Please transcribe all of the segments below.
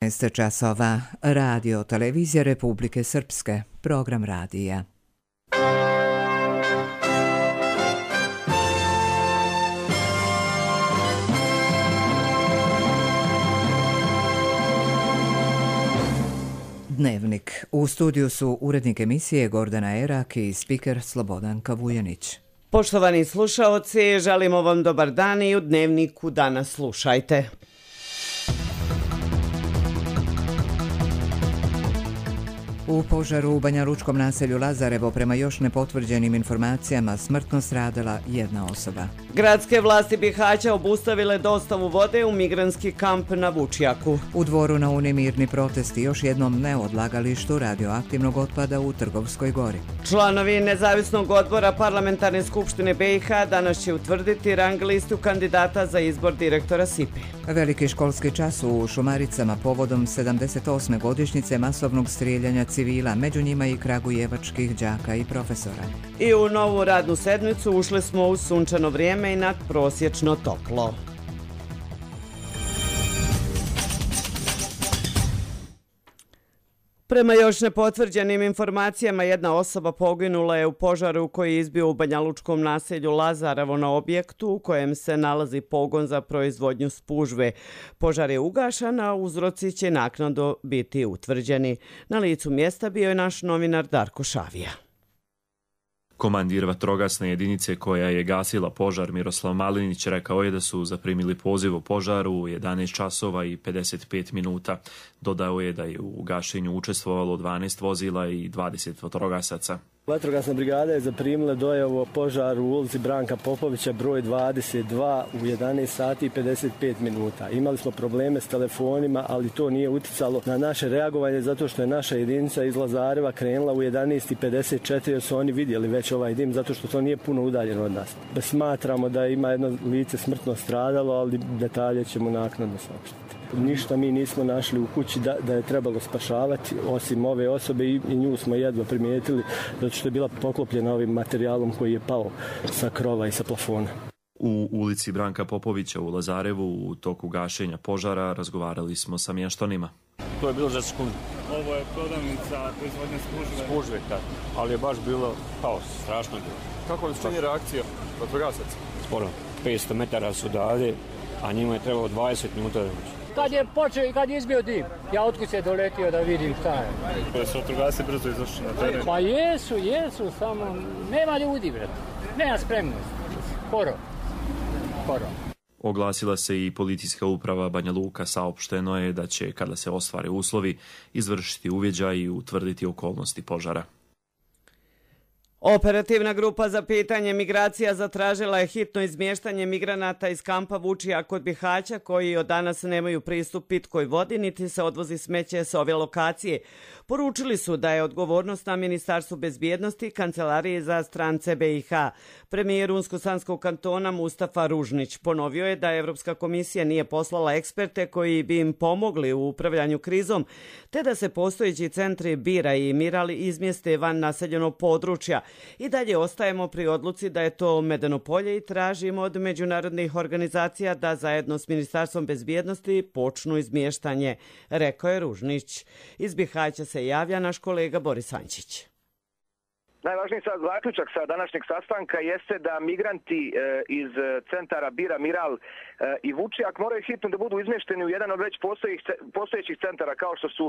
15 časova. Radio Televizija Republike Srpske. Program radija. Dnevnik. U studiju su urednik emisije Gordana Erak i spiker Slobodanka Vujanić. Poštovani slušaoci, želimo vam dobar dan i u Dnevniku danas slušajte. U požaru u banjalučkom naselju Lazarevo prema još nepotvrđenim informacijama smrtno stradala jedna osoba. Gradske vlasti Bihaća obustavile dostavu vode u migrantski kamp na Vučjaku. U Dvoru na Uni mirni protesti još jednom neodlagalištu radioaktivnog otpada u Trgovskoj gori. Članovi Nezavisnog odbora Parlamentarne skupštine BiH danas će utvrditi rang listu kandidata za izbor direktora SIPE. Veliki školski čas u Šumaricama povodom 78. godišnjice masovnog strijeljanja civila, među njima i kragujevačkih đaka i profesora. I u novu radnu sedmicu ušli smo u sunčano vrijeme i nadprosječno toplo. Prema još nepotvrđenim informacijama, jedna osoba poginula je u požaru koji je izbio u banjalučkom naselju Lazarevo na objektu u kojem se nalazi pogon za proizvodnju spužve. Požar je ugašen, a uzroci će naknadno biti utvrđeni. Na licu mjesta bio je naš novinar Darko Šavija. Komandir vatrogasne jedinice koja je gasila požar Miroslav Malinić rekao je da su zaprimili poziv o požaru u 11 časova i 55 minuta. Dodao je da je u gašenju učestvovalo 12 vozila i 20 vatrogasaca. Vatrogasna brigada je zaprimila dojavu o požaru u ulici Branka Popovića broj 22 u 11 sati i 55 minuta. Imali smo probleme s telefonima, ali to nije uticalo na naše reagovanje zato što je naša jedinica iz Lazareva krenula u 11:54 jer su oni vidjeli već ovaj dim zato što to nije puno udaljeno od nas. Smatramo da ima jedno lice smrtno stradalo, ali detalje ćemo naknadno saopštiti. Ništa mi nismo našli u kući da je trebalo spašavati, osim ove osobe i nju smo jedva primijetili zato što je bila poklopljena ovim materijalom koji je pao sa krova i sa plafona. U ulici Branka Popovića u Lazarevu u toku gašenja požara razgovarali smo sa mještanima. To je bilo za sekundu. Ovo je prodavnica proizvodnje spužve. Spužve, ali je baš bilo haos, strašno bilo. Kako vam se čini reakcija vatrogasaca? Sporo, 500 metara su dalje, a njima je trebalo 20 minuta da dođe. Kad je počeo i kad je izbio dim, ja otkud se doletio da vidim šta je. Da su vatrogasci brzo izašli na teren? Pa jesu, samo nema ljudi, brate. Nema spremnosti. Skoro. Oglasila se i policijska uprava Banja Luka, saopšteno je da će, kada se ostvare uslovi, izvršiti uviđaj i utvrditi okolnosti požara. Operativna grupa za pitanje migracija zatražila je hitno izmještanje migranata iz kampa Vučjak kod Bihaća koji od danas nemaju pristup pitkoj vodi niti se odvozi smeće s ove lokacije. Poručili su da je odgovornost na Ministarstvu bezbjednosti i Kancelarije za strance BiH. Premijer Unsko-Sanskog kantona Mustafa Ružnić ponovio je da Evropska komisija nije poslala eksperte koji bi im pomogli u upravljanju krizom, te da se postojeći centri Bira i Miral izmjeste van naseljenog područja. I dalje ostajemo pri odluci da je to Medeno polje i tražimo od međunarodnih organizacija da zajedno s Ministarstvom bezbjednosti počnu izmještanje, rekao je Ružnić. Iz Bihaća se javlja naš kolega Boris Ančić. Najvažniji sad zaključak sa današnjeg sastanka jeste da migranti iz centara Bira, Miral i Vučjak moraju hitno da budu izmješteni u jedan od već postojećih centara kao što su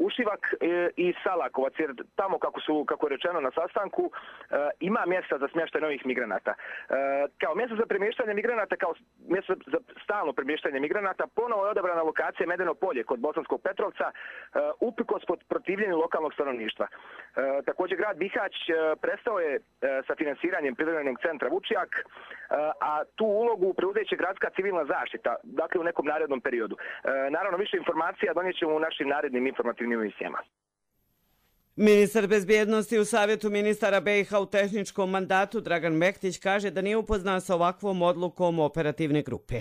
Ušivak i Salakovac, jer tamo kako je rečeno na sastanku ima mjesta za smještaj novih migranata. Kao mjesto za premještanje migranata, kao mjesto za stalno premještanje migranata, ponovo je odabrana lokacija Medeno polje kod Bosanskog Petrovca, uprkos protivljenju lokalnog stanovništva. Također grad Bihać prestao je sa finansiranjem privremenog centra Vučjak, a tu ulogu preuzet će gradska civilna zaštita, dakle u nekom narednom periodu. Naravno, više informacija donijet ćemo u našim narednim informativnim emisijama. Ministar bezbjednosti u Savjetu ministara BiH u tehničkom mandatu Dragan Mektić kaže da nije upoznan sa ovakvom odlukom operativne grupe.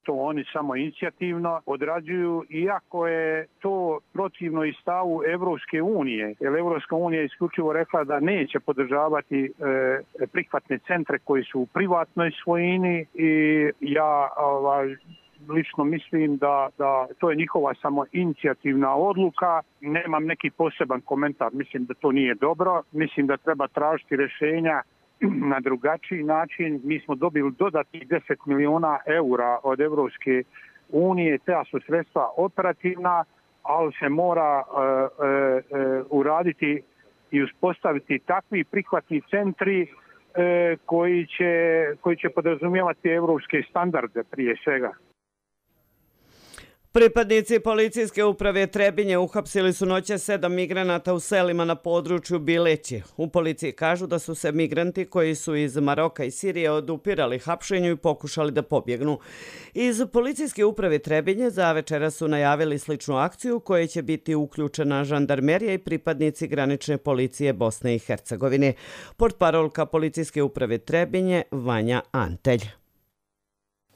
To oni samo inicijativno odrađuju, iako je to protivno i stavu Evropske unije. Jer Evropska unija je isključivo rekla da neće podržavati prihvatne centre koji su u privatnoj svojini i ja lično mislim da to je njihova samo inicijativna odluka. Nemam neki poseban komentar, mislim da to nije dobro. Mislim da treba tražiti rješenja na drugačiji način. Mi smo dobili dodatnih 10 miliona eura od Evropske unije, te su sredstva operativna, ali se mora uraditi i uspostaviti takvi prihvatni centri koji će podrazumijevati evropske standarde prije svega. Pripadnici policijske uprave Trebinje uhapsili su noćas 7 migranata u selima na području Bileći. U policiji kažu da su se migranti koji su iz Maroka i Sirije odupirali hapšenju i pokušali da pobjegnu. Iz policijske uprave Trebinje za večera su najavili sličnu akciju koje će biti uključena žandarmerija i pripadnici granične policije Bosne i Hercegovine. Portparolka policijske uprave Trebinje Vanja Antelj.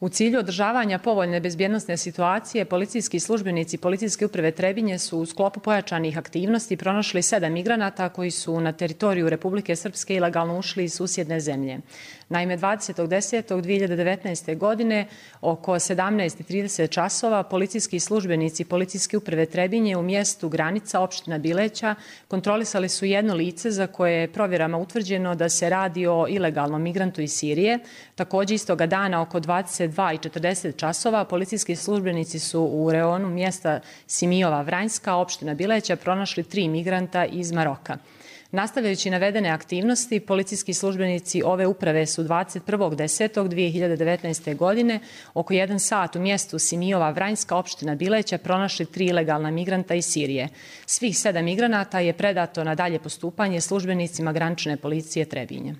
U cilju održavanja povoljne bezbjednosne situacije, policijski službenici policijske uprave Trebinje su u sklopu pojačanih aktivnosti pronašli 7 migranata koji su na teritoriju Republike Srpske ilegalno ušli iz susjedne zemlje. Naime, 20.10.2019. godine oko 17:30 časova policijski službenici policijske uprave Trebinje u mjestu Granica, opština Bileća, kontrolisali su jedno lice za koje je provjerama utvrđeno da se radi o ilegalnom migrantu iz Sirije. Također istoga dana oko 22:40 časova policijski službenici su u reonu mjesta Simijova Vranjska, opština Bileća, pronašli 3 migranta iz Maroka. Nastavljajući navedene aktivnosti, policijski službenici ove uprave su 21.10.2019. godine oko 1 sat u mjestu Simijova Vranjska, opština Bileća, pronašli 3 ilegalna migranta iz Sirije. Svih 7 migranata je predato na dalje postupanje službenicima granične policije Trebinje.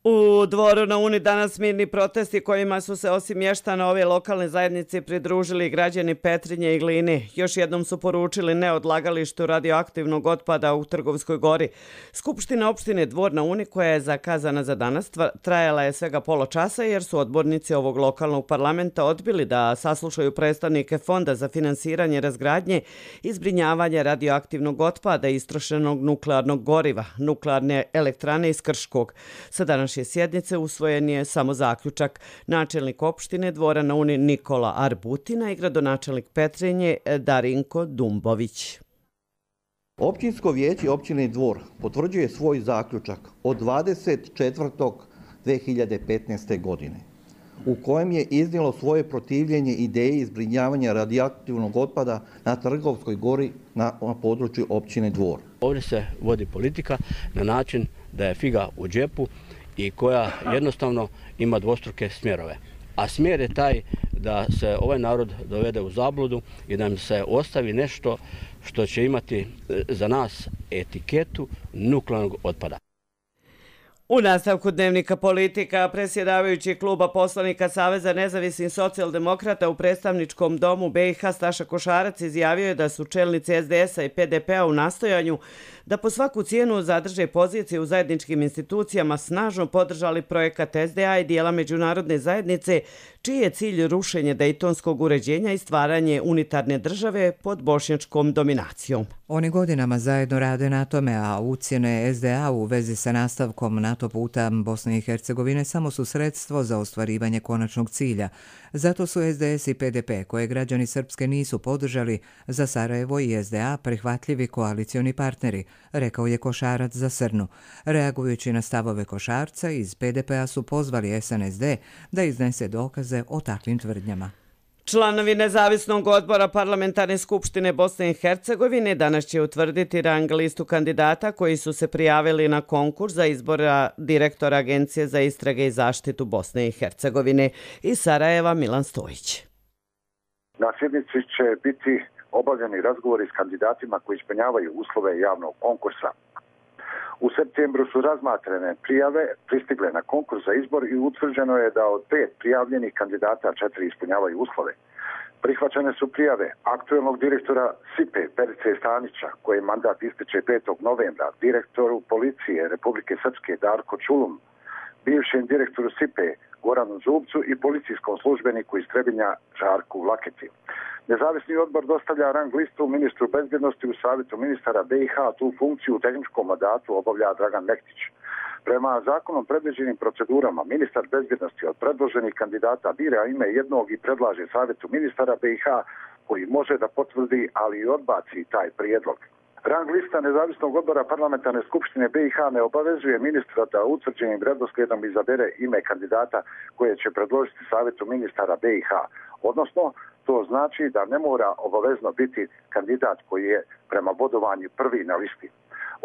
U Dvoru na Uni danas mirni protesti kojima su se osim mještana ove lokalne zajednice pridružili građani Petrinje i Gline. Još jednom su poručili ne odlagalištu radioaktivnog otpada u Trgovskoj gori. Skupština opštine Dvor na Uni, koja je zakazana za danas, trajala je svega pola časa jer su odbornici ovog lokalnog parlamenta odbili da saslušaju predstavnike Fonda za finansiranje razgradnje i zbrinjavanje radioaktivnog otpada i istrošenog nuklearnog goriva, nuklearne elektrane iz Krškog. Sa današnje sjednice usvojen je samo zaključak. Načelnik opštine Dvora na Uni Nikola Arbutina i gradonačelnik Petrinje Darinko Dumbović. Općinsko vijeće općine Dvor potvrđuje svoj zaključak od 20.4.2015. godine u kojem je iznijelo svoje protivljenje ideji zbrinjavanja radioaktivnog otpada na Trgovskoj gori na području općine Dvor. Ovdje se vodi politika na način da je figa u džepu i koja jednostavno ima dvostruke smjerove. A smjer je taj da se ovaj narod dovede u zabludu i da im se ostavi nešto što će imati za nas etiketu nuklearnog otpada. U nastavku dnevnika politika, predsjedavajući kluba poslanika Saveza nezavisnih socijaldemokrata u predstavničkom domu BiH Staša Košarac izjavio je da su čelnici SDS-a i PDP-a u nastojanju da po svaku cijenu zadrže pozicije u zajedničkim institucijama snažno podržali projekat SDA i dijela međunarodne zajednice, čiji je cilj rušenje dejtonskog uređenja i stvaranje unitarne države pod bošnjačkom dominacijom. Oni godinama zajedno rade na tome, a ucjene SDA u vezi sa nastavkom NATO puta Bosne i Hercegovine samo su sredstvo za ostvarivanje konačnog cilja. Zato su SDS i PDP, koje građani Srpske nisu podržali, za Sarajevo i SDA prihvatljivi koalicioni partneri, rekao je Košarac za Srnu. Reagujući na stavove Košarca, iz PDP-a su pozvali SNSD da iznese dokaze o takvim tvrdnjama. Članovi nezavisnog odbora Parlamentarne skupštine Bosne i Hercegovine danas će utvrditi rang listu kandidata koji su se prijavili na konkurs za izbora direktora Agencije za istrage i zaštitu Bosne i Hercegovine. Iz Sarajeva Milan Stojić. Na sjednici će biti obavljeni razgovori s kandidatima koji ispunjavaju uslove javnog konkursa. U septembru su razmatrane prijave, pristigle na konkurs za izbor i utvrđeno je da od 5 prijavljenih kandidata 4 ispunjavaju uslove. Prihvaćene su prijave aktuelnog direktora SIPE Perice Stanića, koji mandat ističe 5. novembra, direktoru policije Republike Srpske Darko Čulum, bivšem direktoru SIPE Goranu Zubcu i policijskom službeniku iz Trebinja Žarku Laketi. Nezavisni odbor dostavlja rang listu ministru bezbjednosti u savjetu ministara BiH, tu funkciju u tehničkom mandatu obavlja Dragan Mektić. Prema zakonom predviđenim procedurama, ministar bezbjednosti od predloženih kandidata bira ime jednog i predlaže savjetu ministara BiH koji može da potvrdi, ali i odbaci taj prijedlog. Rang lista nezavisnog odbora parlamentarne skupštine BiH ne obavezuje ministra da utvrđenim redoslijedom izabere ime kandidata koje će predložiti savjetu ministara BiH. Odnosno, to znači da ne mora obavezno biti kandidat koji je prema bodovanju prvi na listi.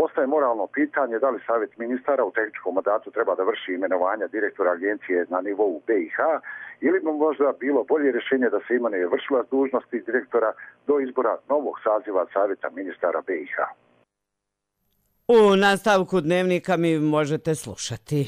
Ostaje moralno pitanje da li savjet ministara u tehničkom mandatu treba da vrši imenovanja direktora agencije na nivou BiH ili bi možda bilo bolje rješenje da se imenuje vršilac dužnosti direktora do izbora novog saziva savjeta ministara BiH. U nastavku dnevnika mi možete slušati.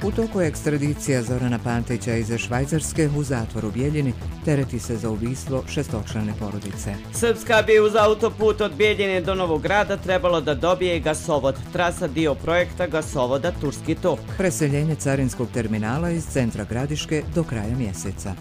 U toku je ekstradicija Zorana Pantića iz Švajcarske u zatvoru Bijeljini, tereti se za ubistvo šestočlane porodice. Srpska bi uz autoput od Bijeljine do Novog Grada trebalo da dobije gasovod. Trasa dio projekta gasovoda Turski tok. Preseljenje carinskog terminala iz centra Gradiške do kraja mjeseca.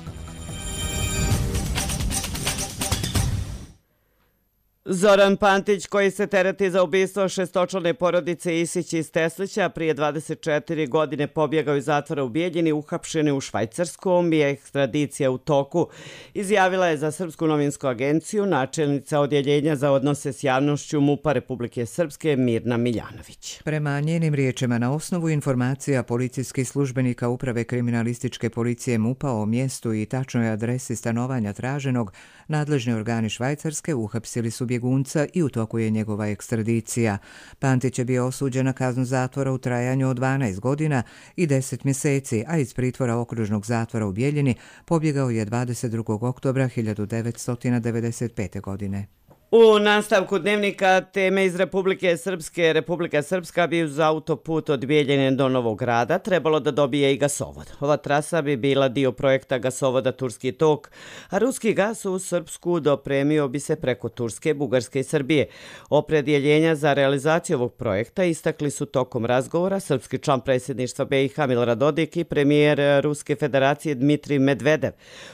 Zoran Pantić, koji se tereti za ubistvo šestočlane porodice Isić iz Teslića, prije 24 godine pobjegao iz zatvora u Bijeljini, uhapšen u Švajcarskom i ekstradicija u toku, izjavila je za Srpsku novinsku agenciju načelnica odjeljenja za odnose s javnošću MUP-a Republike Srpske Mirna Miljanović. Prema njenim riječima, na osnovu informacija policijskih službenika Uprave kriminalističke policije MUP-a o mjestu i tačnoj adresi stanovanja traženog, nadležni organi Švajcarske uhapsili su bjegunca i u toku je njegova ekstradicija. Pantić je bio osuđen na kaznu zatvora u trajanju od 12 godina i 10 mjeseci, a iz pritvora okružnog zatvora u Bijeljini pobjegao je 22. oktobra 1995. godine. U nastavku dnevnika teme iz Republike Srpske. Republika Srpska bi uz autoput od Bijeljine do Novog Grada trebalo da dobije i gasovod. Ova trasa bi bila dio projekta gasovoda Turski tok, a ruski gas u Srpsku dopremio bi se preko Turske, Bugarske i Srbije. Opredjeljenja za realizaciju ovog projekta istakli su tokom razgovora srpski član predsjedništva BiH Milorad Dodik i premijer Ruske federacije Dmitrij Medvedev.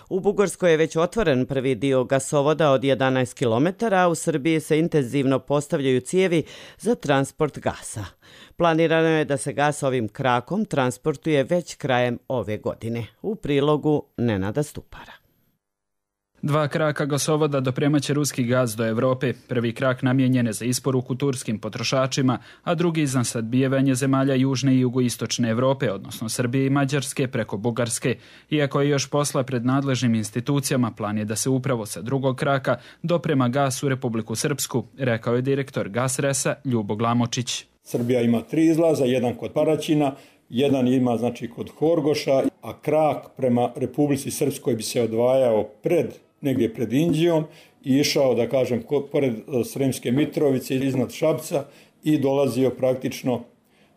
U Bugarskoj je već otvoren prvi dio gasovoda od 11 km, a u Srbiji se intenzivno postavljaju cijevi za transport gasa. Planirano je da se gas ovim krakom transportuje već krajem ove godine. U prilogu Nenada Stupara. 2 kraka gasovoda dopremaće ruski gaz do Evrope. Prvi krak namijenjen je za isporuku turskim potrošačima, a drugi za snabdijevanje zemalja južne i jugoistočne Evrope, odnosno Srbije i Mađarske preko Bugarske. Iako je još posla pred nadležnim institucijama, plan je da se upravo sa drugog kraka doprema gas u Republiku Srpsku, rekao je direktor Gasresa Ljubo Glamočić. Srbija ima 3 izlaza, jedan kod Paraćina, jedan ima kod Horgoša, a krak prema Republici Srpskoj bi se odvajao negdje pred Inđijom i išao, da kažem, pored Sremske Mitrovice iznad Šapca i dolazio praktično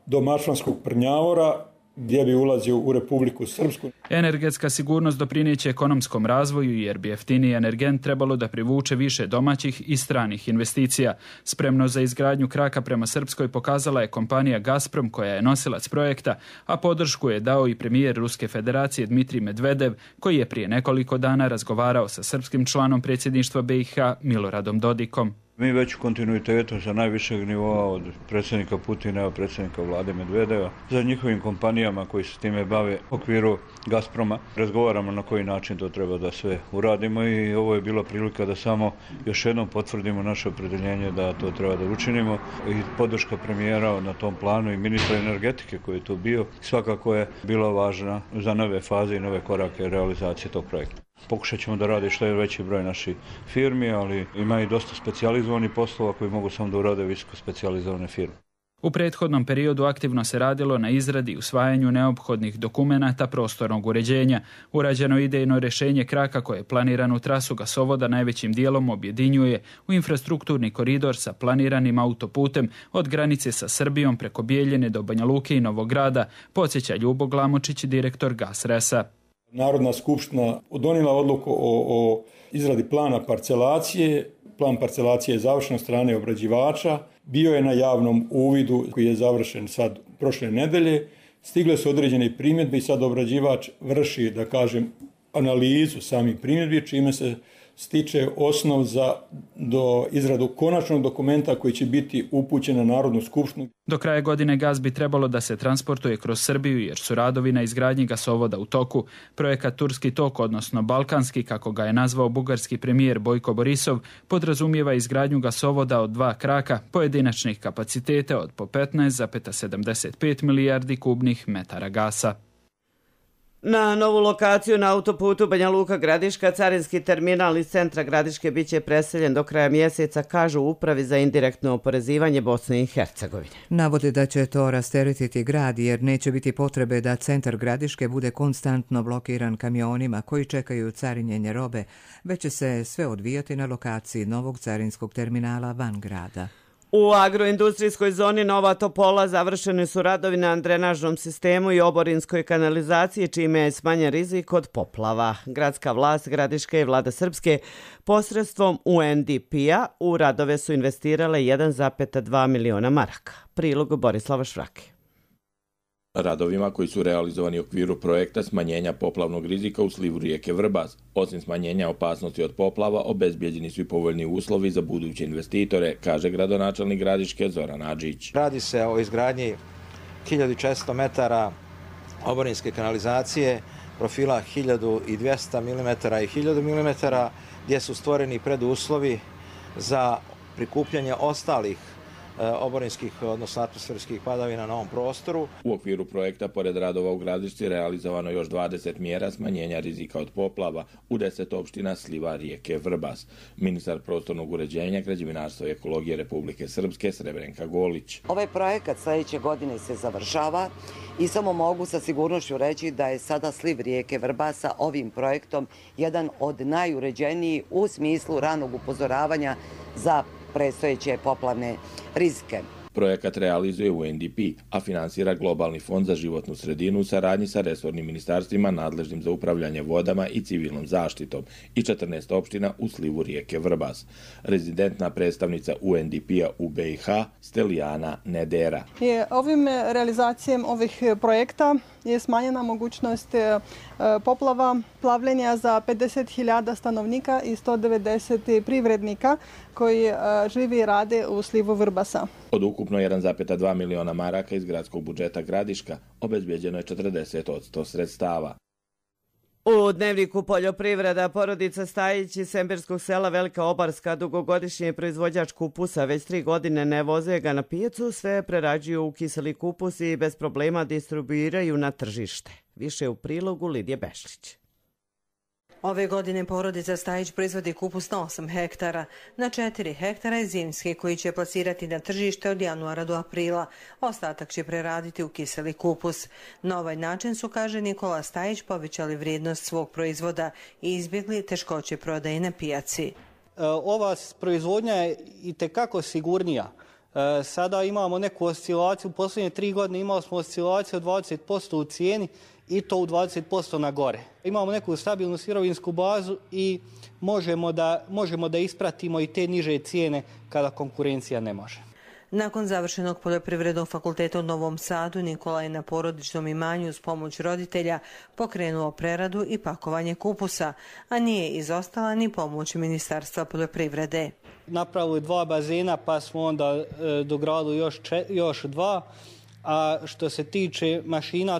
do Mačvanskog Prnjavora, gdje bi ulazio u Republiku Srpsku. Energetska sigurnost doprinijeće ekonomskom razvoju jer bi jeftiniji energent trebalo da privuče više domaćih i stranih investicija. Spremno za izgradnju kraka prema Srpskoj pokazala je kompanija Gazprom koja je nosilac projekta, a podršku je dao i premijer Ruske federacije Dmitrij Medvedev, koji je prije nekoliko dana razgovarao sa srpskim članom predsjedništva BiH Miloradom Dodikom. Mi već u kontinuitetu sa najvišeg nivoa od predsjednika Putina, predsjednika vlade Medvedeva, za njihovim kompanijama koji se time bave u okviru Gazproma, razgovaramo na koji način to treba da sve uradimo i ovo je bila prilika da samo još jednom potvrdimo naše opredjeljenje da to treba da učinimo i podrška premijera na tom planu i ministra energetike koji je tu bio svakako je bila važna za nove faze i nove korake realizacije tog projekta. Pokušat ćemo da radi što je veći broj naših firmi, ali ima i dosta specijalizovanih poslova koji mogu samo da urade visoko specijalizovane firme. U prethodnom periodu aktivno se radilo na izradi i usvajanju neophodnih dokumenata prostornog uređenja. Urađeno idejno rješenje kraka koje je planiranu trasu gasovoda najvećim dijelom objedinjuje u infrastrukturni koridor sa planiranim autoputem od granice sa Srbijom preko Bijeljine do Banja Luke i Novog Grada, podsjeća Ljubo Glamočić, direktor Gasresa. Narodna skupština donijela odluku o izradi plana parcelacije. Plan parcelacije je završen od strane obrađivača. Bio je na javnom uvidu koji je završen sad prošle nedelje. Stigle su određene primjedbe i sad obrađivač vrši, da kažem, analizu samih primjedbi, čime se stiče osnov do izradu konačnog dokumenta koji će biti upućen na Narodnu skupštinu. Do kraja godine gas bi trebalo da se transportuje kroz Srbiju jer su radovi na izgradnji gasovoda u toku. Projekat Turski tok, odnosno Balkanski, kako ga je nazvao bugarski premijer Bojko Borisov, podrazumijeva izgradnju gasovoda od 2 kraka pojedinačnih kapaciteta od po 15,75 milijardi kubnih metara gasa. Na novu lokaciju na autoputu Banja Luka Gradiška carinski terminal iz centra Gradiške biće preseljen do kraja mjeseca, kažu u Upravi za indirektno oporezivanje Bosne i Hercegovine. Navode da će to rasteretiti grad jer neće biti potrebe da centar Gradiške bude konstantno blokiran kamionima koji čekaju carinjenje robe, već će se sve odvijati na lokaciji novog carinskog terminala van grada. U agroindustrijskoj zoni Nova Topola završeni su radovi na drenažnom sistemu i oborinskoj kanalizaciji, čime je smanjen rizik od poplava. Gradska vlast Gradiške i vlada Srpske posredstvom UNDP-a u radove su investirale 1,2 miliona maraka. Prilog Borislava Švrake. Radovima koji su realizovani u okviru projekta smanjenja poplavnog rizika u slivu rijeke Vrbas. Osim smanjenja opasnosti od poplava, obezbijeđeni su i povoljni uslovi za buduće investitore, kaže gradonačelnik Gradiške Zoran Adžić. Radi se o izgradnji 1400 metara oborinske kanalizacije, profila 1200 mm i 1000 mm, gdje su stvoreni preduslovi za prikupljanje ostalih oborinskih, odnosno atmosferskih padavina na ovom prostoru. U okviru projekta, pored radova u Gradišci, realizovano još 20 mjera smanjenja rizika od poplava u 10 opština sliva rijeke Vrbas. Ministar prostornog uređenja, građevinarstva i ekologije Republike Srpske Srebrenka Golić. Ovaj projekat sljedeće godine se završava i samo mogu sa sigurnošću reći da je sada sliv rijeke Vrbasa ovim projektom jedan od najuređenijih u smislu ranog upozoravanja za predstojeće poplavne rizike. Projekat realizuje UNDP, a finansira Globalni fond za životnu sredinu u saradnji sa resornim ministarstvima nadležnim za upravljanje vodama i civilnom zaštitom i 14 opština u slivu rijeke Vrbas. Rezidentna predstavnica UNDP-a u BiH Stelijana Nedera. Ovim realizacijom ovih projekta je smanjena mogućnost poplava, plavljenja za 50.000 stanovnika i 190 privrednika koji živi i rade u slivu Vrbasa. Od ukupno 1,2 miliona maraka iz gradskog budžeta Gradiška obezbijeđeno je 40% sredstava. U Dnevniku poljoprivreda porodica Stajić iz Semberskog sela Velika Obarska, dugogodišnji proizvođač kupusa, već 3 godine ne voze ga na pijacu, sve prerađuju u kiseli kupus i bez problema distribuiraju na tržište. Više u prilogu Lidije Bešlić. Ove godine porodica Stajić proizvodi kupus na 8 hektara. Na 4 hektara je zimski koji će plasirati na tržište od januara do aprila. Ostatak će preraditi u kiseli kupus. Na ovaj način su, kaže Nikola Stajić, povećali vrijednost svog proizvoda i izbjegli teškoće prodaje na pijaci. Ova proizvodnja je itekako sigurnija. Sada imamo neku oscilaciju, u posljednje 3 godine imali smo oscilaciju od 20% u cijeni i to u 20% na gore. Imamo neku stabilnu sirovinsku bazu i možemo da ispratimo i te niže cijene kada konkurencija ne može. Nakon završenog poljoprivrednog fakulteta u Novom Sadu, Nikola je na porodičnom imanju uz pomoć roditelja pokrenuo preradu i pakovanje kupusa, a nije izostala ni pomoć Ministarstva poljoprivrede. Napravili 2 bazena pa smo onda dogradili još 2, a što se tiče mašina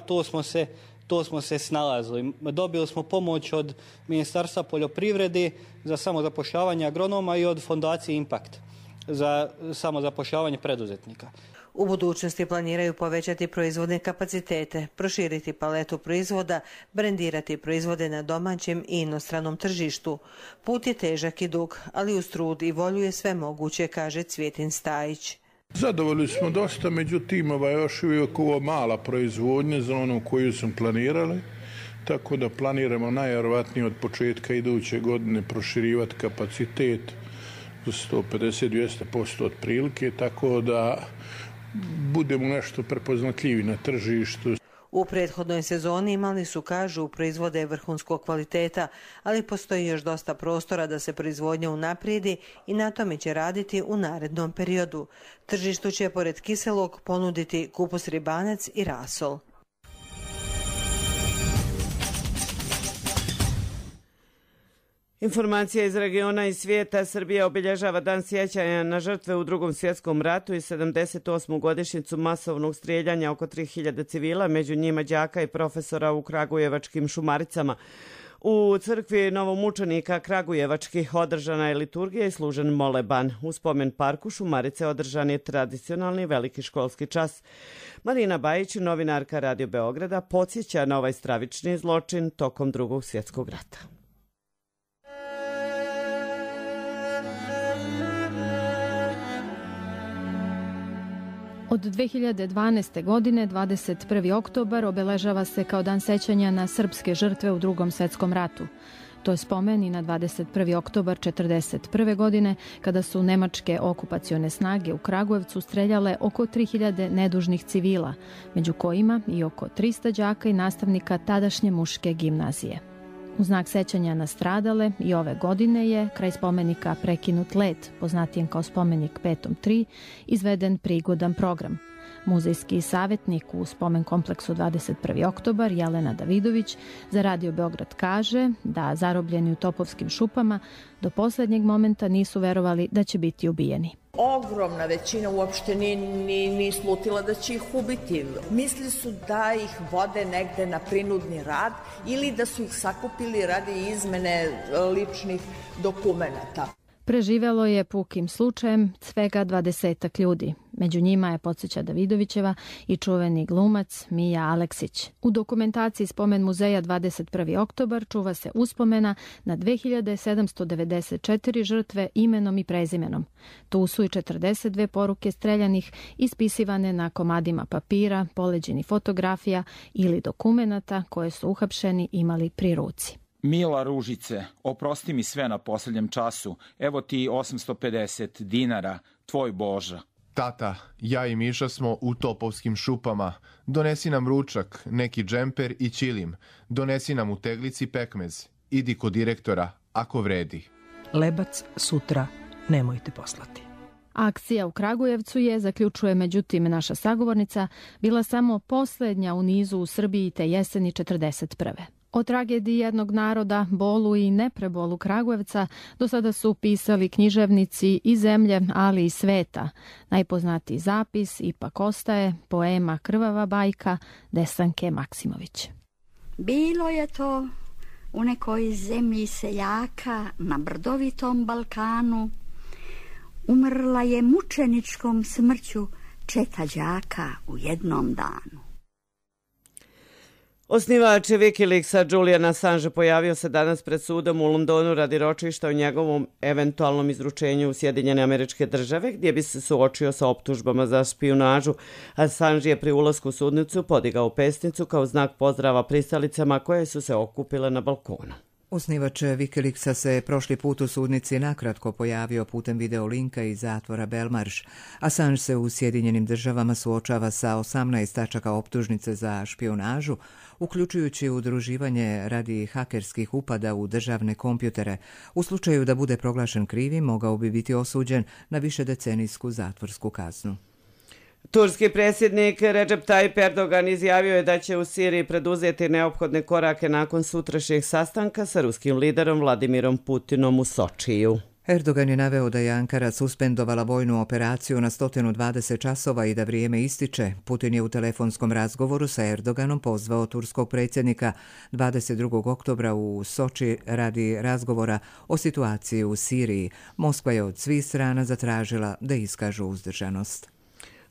to smo se snalazili. Dobili smo pomoć od Ministarstva poljoprivrede za samozapošljavanje agronoma i od fondacije Impact za samozapošljavanje preduzetnika. U budućnosti planiraju povećati proizvodne kapacitete, proširiti paletu proizvoda, brendirati proizvode na domaćem i inostranom tržištu. Put je težak i dug, ali uz trud i volju je sve moguće, kaže Cvjetin Stajić. Zadovoljni smo dosta, međutim još uvijek ovo mala proizvodnja za onu koju smo planirali, tako da planiramo najvjerojatnije od početka iduće godine proširivati kapacitet za 150-200% otprilike, tako da budemo nešto prepoznatljivi na tržištu. U prethodnoj sezoni imali su, kažu, proizvode vrhunskog kvaliteta, ali postoji još dosta prostora da se proizvodnja unaprijedi i na tome će raditi u narednom periodu. Tržištu će pored kiselog ponuditi kupus ribanac i rasol. Informacija iz regiona i svijeta. Srbija obilježava dan sjećanja na žrtve u Drugom svjetskom ratu i 78. godišnjicu masovnog strijeljanja oko 3000 civila, među njima đaka i profesora u kragujevačkim Šumaricama. U crkvi novomučenika kragujevačkih održana je liturgija i služen moleban. U spomen parku Šumarice održan je tradicionalni veliki školski čas. Marina Bajić, novinarka Radio Beograda, podsjeća na ovaj stravični zločin tokom Drugog svjetskog rata. Od 2012. godine 21. oktobar obeležava se kao dan sećanja na srpske žrtve u Drugom svjetskom ratu. To je spomen i na 21. oktobar 1941. godine kada su nemačke okupacione snage u Kragujevcu streljale oko 3000 nedužnih civila, među kojima i oko 300 đaka i nastavnika tadašnje muške gimnazije. U znak sećanja na stradale i ove godine je kraj spomenika Prekinut let, poznatijem kao spomenik Petom 3, izveden prigodan program. Muzejski savjetnik u spomen kompleksu 21. oktobar Jelena Davidović za Radio Beograd kaže da zarobljeni u Topovskim šupama do posljednjeg momenta nisu verovali da će biti ubijeni. Ogromna većina uopšte ni slutila da će ih ubiti. Mislili su da ih vode negde na prinudni rad ili da su ih sakupili radi izmene ličnih dokumenata. Preživelo je pukim slučajem svega 20 ljudi. Među njima je, podsjeća Davidovićeva, i čuveni glumac Mija Aleksić. U dokumentaciji Spomen muzeja 21. oktobar čuva se uspomena na 2794 žrtve imenom i prezimenom. Tu su i 42 poruke streljanih ispisivane na komadima papira, poleđini fotografija ili dokumenata koje su uhapšeni imali pri ruci. Mila Ružice, oprosti mi sve na posljednjem času. Evo ti 850 dinara, tvoj Boža. Tata, ja i Miša smo u Topovskim šupama. Donesi nam ručak, neki džemper i ćilim. Donesi nam u teglici pekmez. Idi kod direktora, ako vredi. Lebac sutra nemojte poslati. Akcija u Kragujevcu je, zaključuje međutim naša sagovornica, bila samo posljednja u nizu u Srbiji te jeseni 1941. O tragediji jednog naroda, bolu i neprebolu Kragujevca do sada su pisali književnici i zemlje, ali i sveta. Najpoznatiji zapis ipak ostaje poema Krvava bajka Desanke Maksimović. Bilo je to u nekoj zemlji seljaka na brdovitom Balkanu. Umrla je mučeničkom smrću četa đaka u jednom danu. Osnivač Wikileaksa Julian Assange pojavio se danas pred sudom u Londonu radi ročišta o njegovom eventualnom izručenju u Sjedinjene Američke Države, gdje bi se suočio sa optužbama za špijunažu. Assange je pri ulasku u sudnicu podigao pesnicu kao znak pozdrava pristalicama koje su se okupile na balkonu. Osnivač Wikileaksa se prošli put u sudnici nakratko pojavio putem video linka iz zatvora Belmarsh. Assange se u Sjedinjenim Državama suočava sa 18 tačaka optužnice za špijunažu, uključujući udruživanje radi hakerskih upada u državne kompjutere. U slučaju da bude proglašen krivim, mogao bi biti osuđen na višedecenijsku zatvorsku kaznu. Turski predsjednik Recep Tayyip Erdogan izjavio je da će u Siriji preduzeti neophodne korake nakon sutrašnjeg sastanka sa ruskim liderom Vladimirom Putinom u Sočiju. Erdogan je naveo da je Ankara suspendovala vojnu operaciju na 120 časova i da vrijeme ističe. Putin je u telefonskom razgovoru sa Erdoganom pozvao turskog predsjednika 22. oktobra u Soči radi razgovora o situaciji u Siriji. Moskva je od svih strana zatražila da iskažu uzdržanost.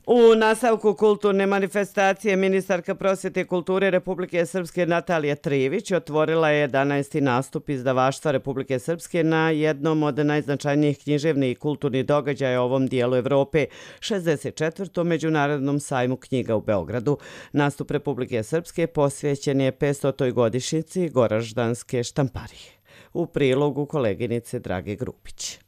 U nastavku kulturne manifestacije ministarka prosvjete i kulture Republike Srpske Natalija Trivić otvorila je 11. nastup izdavaštva Republike Srpske na jednom od najznačajnijih književnih i kulturnih događaja u ovom dijelu Evrope, 64. Međunarodnom sajmu knjiga u Beogradu. Nastup Republike Srpske posvećen je 500. godišnjici Goraždanske štamparije. U prilogu koleginice Drage Grupić.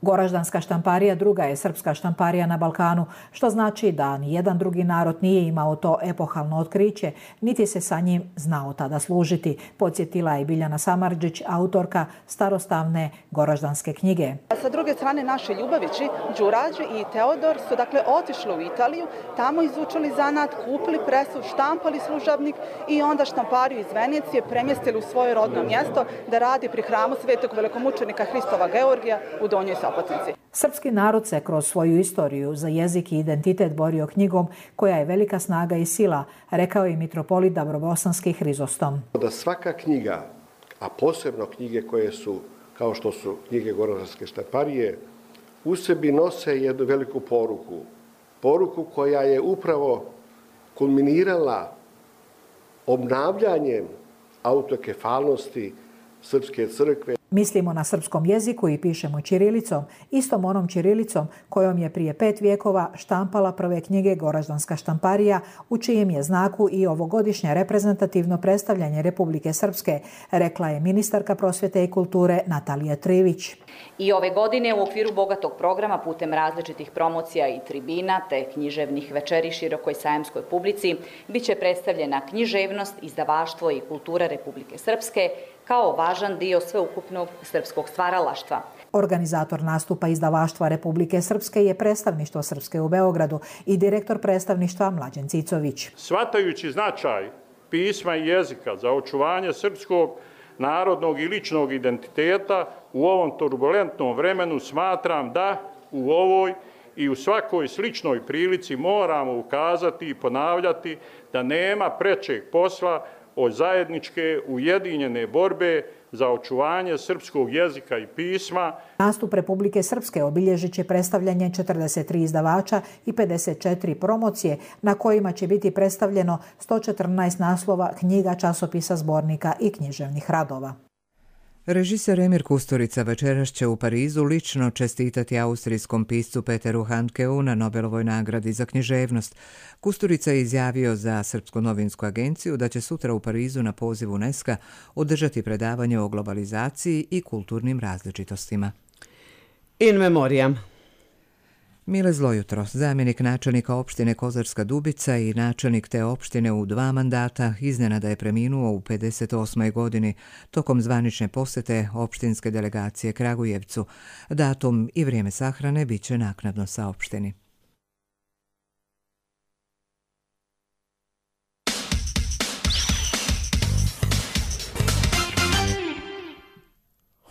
Goraždanska štamparija druga je srpska štamparija na Balkanu, što znači da nijedan drugi narod nije imao to epohalno otkriće, niti se sa njim znao tada služiti, podsjetila je Biljana Samardžić, autorka starostavne Goraždanske knjige. Sa druge strane, naši Ljubavići, Đurađi i Teodor su otišli u Italiju, tamo izučili zanat, kupili presu, štampali služavnik i onda štampariju iz Venecije premjestili u svoje rodno mjesto da radi pri hramu svetog velikomučenika Hristova Georgija u Donjoj Sopotnici. Srpski narod se kroz svoju istoriju za jezik i identitet borio knjigom koja je velika snaga i sila, rekao je mitropolit Dabrobosanski Hrizostom. Da svaka knjiga, a posebno knjige koje su, kao što su knjige Goraždanske štamparije, u sebi nose jednu veliku poruku. Poruku koja je upravo kulminirala obnavljanjem autokefalnosti Srpske crkve. Mislimo na srpskom jeziku i pišemo ćirilicom, istom onom ćirilicom kojom je prije 5 vijekova štampala prve knjige Goraždanska štamparija, u čijem je znaku i ovogodišnje reprezentativno predstavljanje Republike Srpske, rekla je ministarka prosvjete i kulture Natalija Trivić. I ove godine u okviru bogatog programa putem različitih promocija i tribina te književnih večeri širokoj sajamskoj publici biće predstavljena književnost, izdavaštvo i kultura Republike Srpske kao važan dio sveukupnog srpskog stvaralaštva. Organizator nastupa izdavaštva Republike Srpske je predstavništvo Srpske u Beogradu i direktor predstavništva Mlađan Cicović. Shvatajući značaj pisma i jezika za očuvanje srpskog narodnog i ličnog identiteta u ovom turbulentnom vremenu, smatram da u ovoj i u svakoj sličnoj prilici moramo ukazati i ponavljati da nema prečeg posla od zajedničke ujedinjene borbe za očuvanje srpskog jezika i pisma. Nastup Republike Srpske obilježit će predstavljanje 43 izdavača i 54 promocije na kojima će biti predstavljeno 114 naslova knjiga, časopisa, zbornika i književnih radova. Režiser Emir Kusturica večeras će u Parizu lično čestitati austrijskom piscu Peteru Handkeu na Nobelovoj nagradi za književnost. Kusturica je izjavio za Srpsku novinsku agenciju da će sutra u Parizu na poziv UNESCO održati predavanje o globalizaciji i kulturnim različitostima. In memoriam. Mile Zlojutro, zamjenik načelnika opštine Kozarska Dubica i načelnik te opštine u 2 mandata, iznenada je preminuo u 58. godini tokom zvanične posjete opštinske delegacije Kragujevcu. Datum i vrijeme sahrane bit će naknadno saopšteni.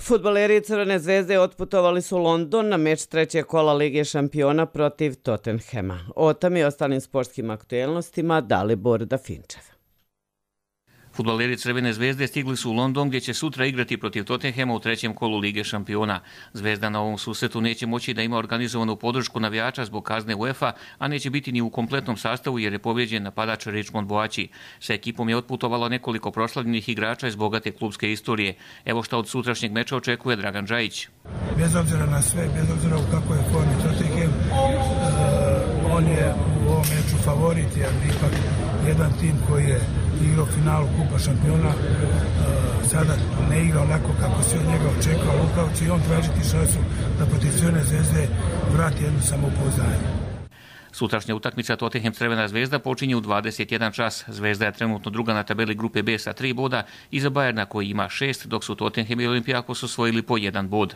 Fudbaleri Crvene zvezde otputovali su u London na meč 3. kola Lige šampiona protiv Tottenhema. O tom i ostalim sportskim aktuelnostima Dalibor Dafinčev. Fudbaleri Crvene zvezde stigli su u London gdje će sutra igrati protiv Tottenhema u 3. kolu Lige šampiona. Zvezda na ovom susretu neće moći da ima organizovanu podršku navijača zbog kazne UEFA, a neće biti ni u kompletnom sastavu jer je povrijeđen napadač Richmond Boači. Sa ekipom je otputovalo nekoliko proslavljenih igrača iz bogate klubske istorije. Evo šta od sutrašnjeg meča očekuje Dragan Džajić. Bez obzira na sve, bez obzira u kakvoj je formi Tottenham, on je u ovom meču favorit jer ipak jedan tim koji je igrao finalu Kupa šampiona sada ne igra onako kako se od njega očekao, upravo će i on tražiti šansu da protiv Crvene zvezde vrati jedno samopouzdanje. Sutrašnja utakmica Tottenham Crvena zvezda počinje u 21 čas. Zvezda je trenutno druga na tabeli grupe B sa 3 boda, iza Bajerna koji ima 6, dok su Tottenham i Olympiakos osvojili po 1 bod.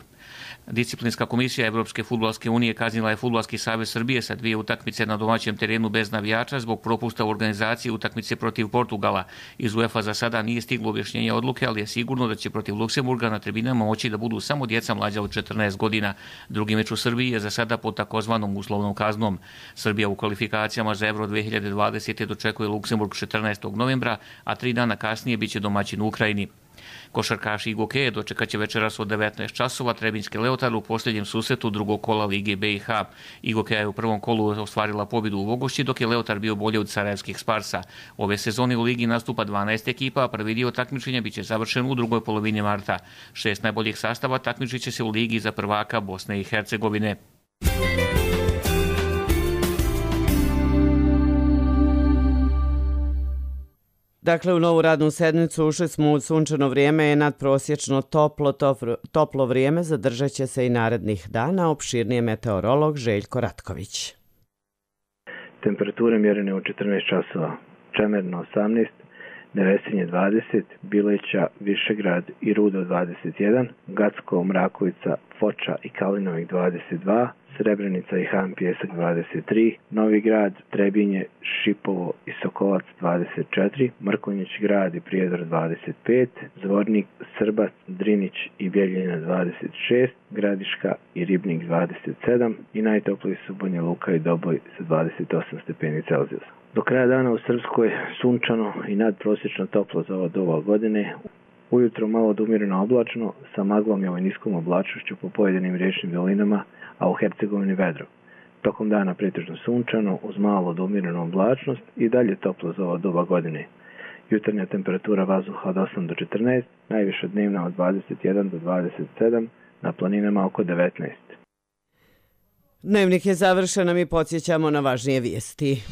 Disciplinska komisija Evropske fudbalske unije kaznila je Fudbalski savez Srbije sa 2 utakmice na domaćem terenu bez navijača zbog propusta u organizaciji utakmice protiv Portugala. Iz UEFA za sada nije stiglo objašnjenje odluke, ali je sigurno da će protiv Luksemburga na tribinama moći da budu samo djeca mlađa od 14 godina. Drugi meč u Srbiji je za sada pod takozvanom uslovnom kaznom. Srbija u kvalifikacijama za Euro 2020. dočekuje Luksemburg 14. novembra, a 3 dana kasnije biće domaćin u Ukrajini. Košarkaši i Gokeje dočekat će večeras od 19 časova Trebinjski Leotar u posljednjem susretu drugog kola Lige BiH. Gokeja je u prvom kolu ostvarila pobjedu u Vogošći, dok je Leotar bio bolje od sarajevskih Sparsa. Ove sezone u Ligi nastupa 12 ekipa, a prvi dio takmičenja biće završen u drugoj polovini marta. 6 najboljih sastava takmičit će se u Ligi za prvaka Bosne i Hercegovine. Dakle, u novu radnu sedmicu ušli smo u sunčano vrijeme, je nadprosječno toplo vrijeme, zadržat će se i narednih dana, opširnije meteorolog Željko Ratković. Temperature mjerene u 14 časova, Čemerno 18, Nevesinje 20, Bileća, Višegrad i Rudo 21, Gacko, Mrakovica, Foča i Kalinovik 22, Srebrenica i Han Pjesak 23, Novi Grad, Trebinje, Šipovo i Sokolac 24, Mrkonjić Grad i Prijedor 25, Zvornik, Srbac, Drinić i Bjeljina 26, Gradiška i Ribnik 27 i najtopliji su Banja Luka i Doboj sa 28 stepeni Celzijusa. Do kraja dana u Srpskoj sunčano i nadprosječno toplo za ovo doba godine. Ujutro malo do umjereno oblačno, sa maglom i ovoj niskom oblačnošću po pojedinim riječnim dolinama, a u Hercegovini vedro. Tokom dana pretežno sunčano, uz malo do umjerenu oblačnost i dalje toplo za ovo doba godine. Jutarnja temperatura vazduha od 8 do 14, najviša dnevna od 21 do 27, na planinama oko 19. Dnevnik je završen, a mi podsjećamo na važnije vijesti.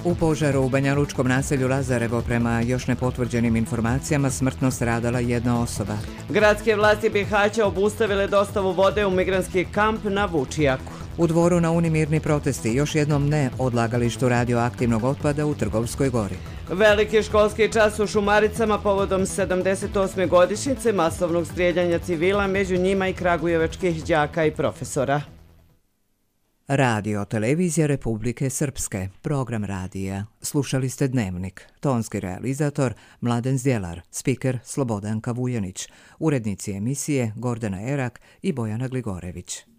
U požaru u banjalučkom naselju Lazarevo prema još nepotvrđenim informacijama smrtno stradala jedna osoba. Gradske vlasti Bihaća obustavile dostavu vode u migrantski kamp na Vučijaku. U Dvoru na Uni mirni protesti, još jednom ne odlagalištu radioaktivnog otpada u Trgovskoj gori. Veliki školski čas u Šumaricama povodom 78. godišnjice masovnog strijeljanja civila, među njima i kragujevačkih đaka i profesora. Radio Televizija Republike Srpske, program radija. Slušali ste Dnevnik. Tonski realizator Mladen Zdjelar, spiker Slobodanka Vujanić, urednici emisije Gordana Erak i Bojana Gligorević.